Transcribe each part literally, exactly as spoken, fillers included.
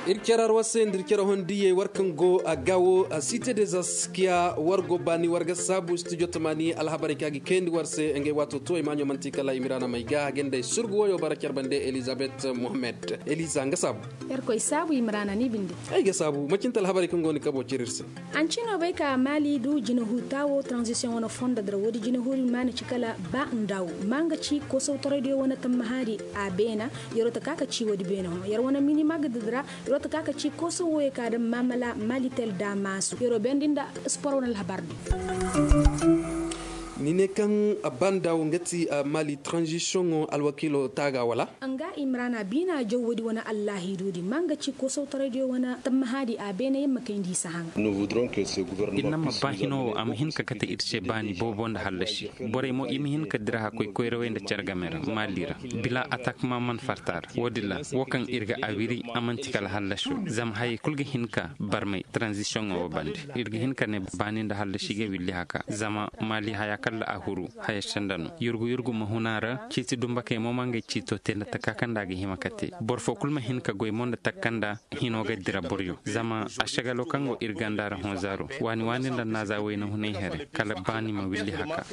Ir care arwar se nda ir care hondiyey war kaŋ go a gaawo a site des askiya war go baani war ga saabu studio tamaani alhabarey kaŋ a ga kayandi war se ngey waato to ay maaɲo man'ti kala imiraana may ga a ga nda ay surgu woyo bara care bande elizabet mohammed eliza nga saabu. Yerkoy saabu imiraana ni binde. Ay ga saabu macinte alhabarey kaŋ go ni kabo cire ir se. Anci no bay ka maali du jinahu taawo transition wane fondo dira woodi jinahu di maana ci kala ba ndaw ma nga ci koosawtaraydiyo wane tammahaadi a beena. Yeroo ta ka ka ci woodi beena hõ yer wane minima ga didira. Yeroo ta ka ka ci koosaw woyey ka daŋ maamala maali tel daamaasu yeroo bendi nda sport wane alhabar di. Ni ne kaŋ a ba ndaw nga ti maali transition ŋo alwakiilo taaga wala? Nga imrana biina jaw woodi wane allahiidu di ma nga ci koosawtaraydiyo wane tammahaadi a beene yer ma kayndi i si haŋa. Ir na ma ba hino wo a ma hin ka kate ir se baani boobo nda hallasi. Borey mo i ma hin ka dira hakkoy koyrawey nda care game ra maali ra. Bila atak ma man farta ra woodin ra wo kaŋ ir ga a wiri a man'ti kala hallasi wo zama hayey kulu ga hin ka barmay transition wo bande. Ir ga hin ka ne baani nda hallasi ga willi haka zama maali haya kalla a huru haya senda no yurgu yurgu ma hun a ra ciiti dumbakey mo ma ngey ciito te nda taka kaŋ nda a ga hima ka te boro foo kulu ma hin ka goy mo nda taka kaŋ nda hino ga dira boryo zama ašagalo kaŋ go ir ganda ra hõ zaaro waani waani nda naaza wayna hunay here kala baani ma willi haka.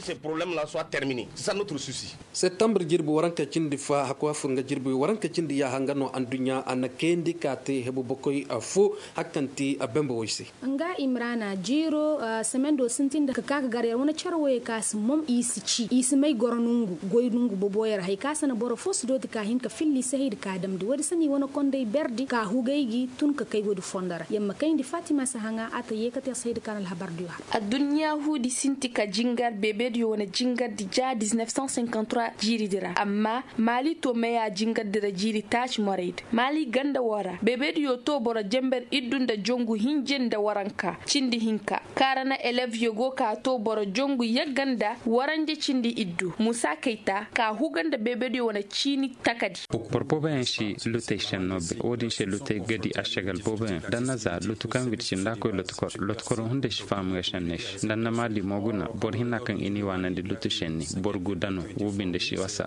Septambur jirbi waranka cindi fa hakku a fur nga jirbi waranka cindi yaaha nga no adduɲɲa a na kayandi ka te hebu bokoy fo hakkanti bembe way se. Nga imrana jiiro semendo sintin nda ka ka ka gar yar wane care woyey ka si mom i si ci i si may goro nongu goy nongu boboyey ra hari ka sanda boro fo si dooti ka hin ka filli sahaydi ka damndi woodi sanda i wane kondey berdi ka hugay gi tun ka kay woodi fondo ra yamma kayndi fatima si haŋa a ta yeekate sahaydi ka na alhabar diyo har. Adduɲɲa huudi sinti ka jingar beebediyo wane jingardi ja dix-neuf cent cinquante-trois jiiridi ra amma maali to meya jingardi ra jiiri taaci moraydi maali ganda woo ra beebediyo to boro jenber iddu nda jongu hinje nda waranka cindi hinka kaara na elevyo go ka to boro jongu yagga nda waranje cindi iddu musa kayta ka huga nda beebediyo wane ciini takadi. Boro booboyaŋ si lutey senno bay woodin se lutey ga di ašagal booboyaŋ danna za lutu kaŋ wirci nda a koy lotukor lotukoro hunday si faham ga senney se danna maali mo guna boro hinna kaŋ i n'i waanandi lutu senni boro gu dano woo binde si wasa.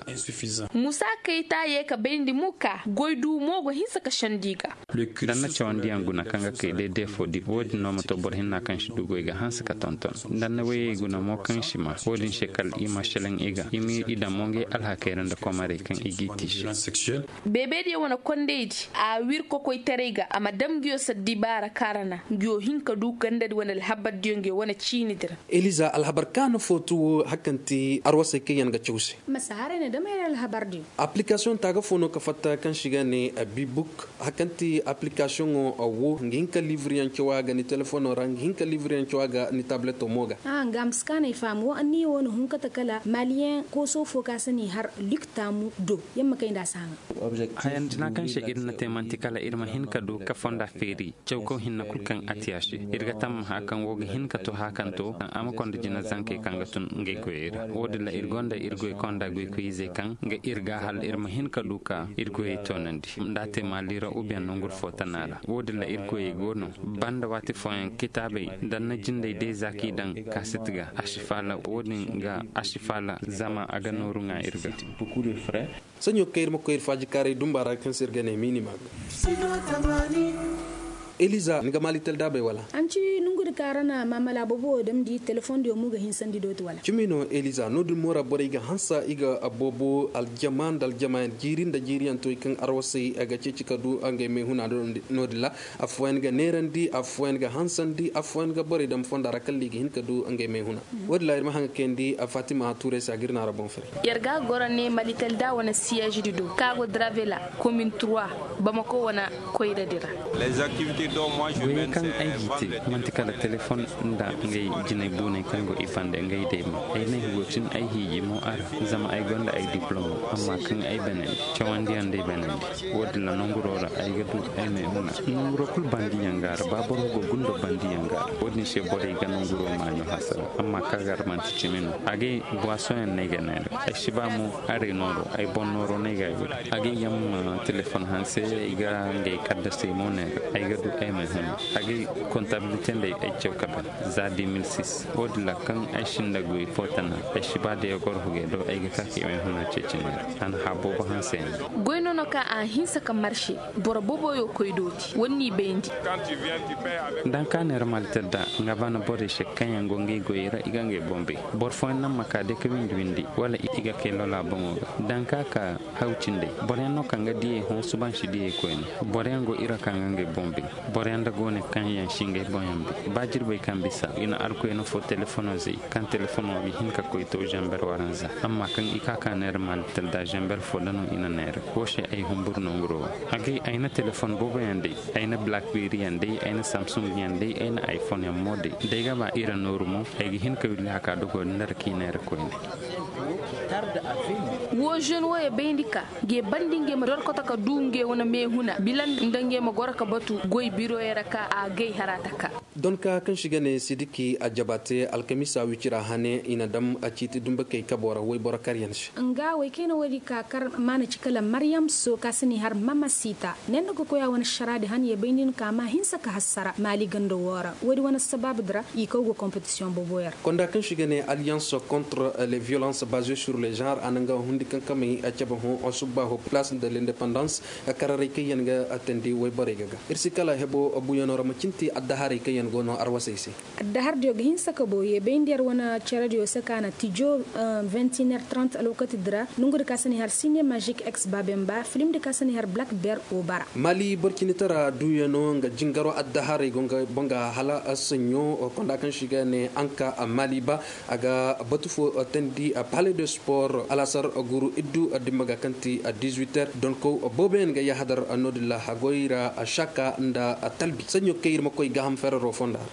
Musa kayta yee ka bayndi mo ka goy du mo go hinsa ka sendi i ga. Danna cawandiyaŋ guna kaŋ ga kay day deefo di woodin no ma to boro hinna kaŋ si du goy ga hanse ka tonton danna wayey guna mo kaŋ si ma woodin se kala i ma seleŋ i ga i ma i daŋ mo ngey alhakey ra nda komarey kaŋ i g'i tiisi. Beebediyo wane kondaydi a wir kokoytaray ga a ma dam nguyo saddibaara kaarana nguyo hin ka du gandadi wane alhabardiyo nguyo wane ciinidi ra. Eliza alhabar kaana fo tu wo hari kaŋ ti arwasey kaŋ yaŋ ga caw se. Masa haray na dam yer alhabardiyo. Aplikasiyoŋ taaga fo no ka fatta kaŋ se i ga ne bibuk hari kaŋ ti aplikasiyoŋo wo nga hin ka liibriyaŋ caw a ga ni telefono ra nga hin ka liibriyaŋ caw a ga ni tableto mo ga. Nga a ma si kaanay faham wo anniya wo na hun kate kala maliyeŋ kooso fo ka se n'i har lik taamu do yer ma kay nda a si haŋa. Hayandina kaŋ se ir na te man'ti kala ir ma hin ka du ka fonda feeri caw kaw hinne kul kaŋ a te a se. Ir ga tammaha kaŋ wo ga hin ka to haakanto a ma konda jina zankey kaŋ ga tun ngey goyey ra wo- din ra ir gonda ir goy konda goykoyizey kaŋ ga ir ga hal ir ma hin ka du ka ir goyey toonandi nda a te maali ra ubiyaŋ nonguru fo tana ra wo- din ra ir goyey go no. Banda waati fooyaŋ kitaabey danna jindey day za k'i daŋ kaasit ga a si faala wo- din ga a si faala zama a ga nooru ŋaa ir ga. Saɲo kaŋ ir ma koy ir faajikaaray dumba ra kaŋ se ir ga ne minima ga. Eliza ni ga maali taldaabey wala? Anci nongudi kaŋ a ra na maamala boobo wo damndi telefoŋ diyo mo ga hinsandi dooti wala? Cimi no eliza no- din mo ra borey ga hansa i ga boobo aljama nda aljamayaŋ jiiri nda jiiriyaŋ to i kaŋ arwasey ga ceeci ka du ngey mayhuna no- din ra. Affooyaŋ ga neerandi affooyaŋ ga hansandi affooyaŋ ga borey daŋ fonda ra kala i ga hin ka du ngey mayhuna. Wo- din ra ir ma haŋ ga kayandi fatima tuuray se a ga ir naara boŋ fari. Yer ga goro ne malitel da wane siyeezidi do kaŋ a go dravela komin trois bamako wane koyradi ra. Goyey kaŋ ay g'i te man'ti kala telefoŋ nda ngey jinay buuney kaŋ go i bande ngey day mo ay ne higoocin ay hiiji mo a ra. Zama ay gonda ay diplomo amma kaŋ ay banandi cawandiyaŋ day banandi. Wo- din ra nonguro ra ay ga du ay mayhuna nonguro kul bandiyaŋ ga a ra ba boro go gundo bandiyaŋ ga a ra wo- din se borey ga nonguro maaɲo hasara amma kaŋ a ga a ra man'ti cimi no a gay buwasoŋyaŋ no ay ga neera. Ay si ba mo aray nooro ay boŋ nooro no ay ga a wiri a gay yaŋ ma telefoŋ hanse ay ga ngey kaddasey mo neera ay ga du. Ay may huna. Agay kontabilite ndey ay caw kabe za di mil sis. Wo- din ra kaŋ ay sinda goy fo tana, ay si ba day goro hugey do ay ga ka ka ay may huna ceeci neera. Ana habo ba hanse yaŋ. Goy no no ka a hinsa ka marse. Boro boboyo koy dooti wani ni bayndi. Danka neera malter da nga bana borey se kaŋ yaŋ go ngey goyey ra i ga ngey boŋ bay. Boro fooyaŋ naŋ ma ka day ka windi windi wala i ga kay lola boŋo ga. Danka ka haw cindey. Boroyaŋ no kaŋ ga diyey hõ subansi diyey koyne. Boroyaŋ go ira kaŋ ga ngey boŋ bay. Boroyaŋ da go ne kaŋ yaŋ si ngey boŋ yaŋ bay ba jirbey kaŋ bisa i na alkoyna fo telefono zay. Kaŋ telefono ga hin ka koy to zamber waranza amma kaŋ i ka ka neera malter da zamber fo da no i na neera. Wo se ay humbur no nguro wo. Agay ay na telefon boobo yaŋ day. Ay na blackberry yaŋ day ay na samsung yaŋ day ay na iphone yaŋ mo day. Day ga ba ira nooru mo. Ay ga hin ka willi haka dogo nda ra k'i neera koyne. Wo žen wo ya bayndi ka ga ya bandi ngey ma dorkoto ka du ngey wane meehuna bila nda ngey ma goro ka batu goy biroyey ra ka a gay hara taka. Donka kaŋ si ga ne sidiki a jaba te alkamiisa wicira hane i na dam a ciiti dumbakey kabo ra wayboro karyaŋ se. Nga wey kayna woodi ka kar maana ci kala maryam so ka si ni har mama siita ne nda ga koy a wane saraadi han ye bay nin ka ma hinsa ka hassara maali ganda woo ra woodi wane sabaabu di ra i kaw ga kompetisiyoŋ booboyaŋ ra. Konda kaŋ si ga ne alliance contre les violences basées sur les genre a na nga hundi kaŋ kamey a cabe hõ subbaaho place de l'indépendance. Kararay kaŋ yaŋ ga atandi wayborey ga ga ir si kala hebo buyanoo ra ma cinti addaharey kaŋ yaŋ go no arwasey se. Addahardiyo ga hinsa ka bow ye bay nda yar wane cerediyo se ka na tijo vingt et un heure trente alwakati di ra nongu di ka si ni har sine magic ex babemba filim di ka si ni har black bear obara. Mali borcinitara duyanoo nga jingaro addaharey go nga boŋ ga hala saɲɲo konda kaŋ si ga ne anka mali ba. A ga batu fo teendi palais de sport alasar guru iddu dimma ga kaŋ ti dix-huit heures donkow booboyaŋ ga yahadar no-din ra hagoy ra saka nda talbi saɲɲo kaŋ ir ma koy gaaham ferero fonda ra.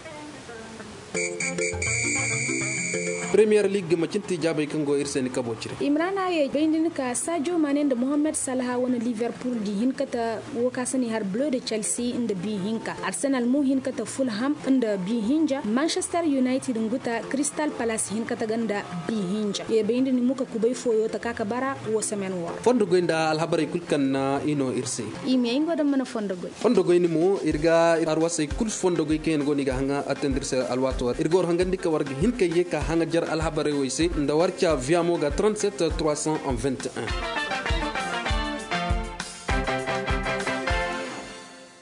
Premier league ma cinti jaabey kaŋ go ir se ni kabo cire. Imrana ye bayndi ni ka sadio mane nda mohammed salaha wane liverpool di hinkata wo ka si ni har bleu de chelsea nda bi hinka arsenal mo hinkata fulham nda bi hinja manchester united nguta crystal palace hinkata ga nda bi hinja ye bayndi ni muka kubay fooyo taka ka bara wo semaine woo ra. Fondo goy nda alhabarey kul kaŋ na i no ir se. I ma ye ngo daŋ mana fondo goy. Fondo goy ni mo ir ga arwasey kul fondo goy kaŋ yaŋ go no i ga haŋa attendir se alwaato ra ir ga war hangandi ka war ga hin ka ye ka haŋa jar alhabarey wey se nda war ca viamo ga trente-sept trois cent vingt et un.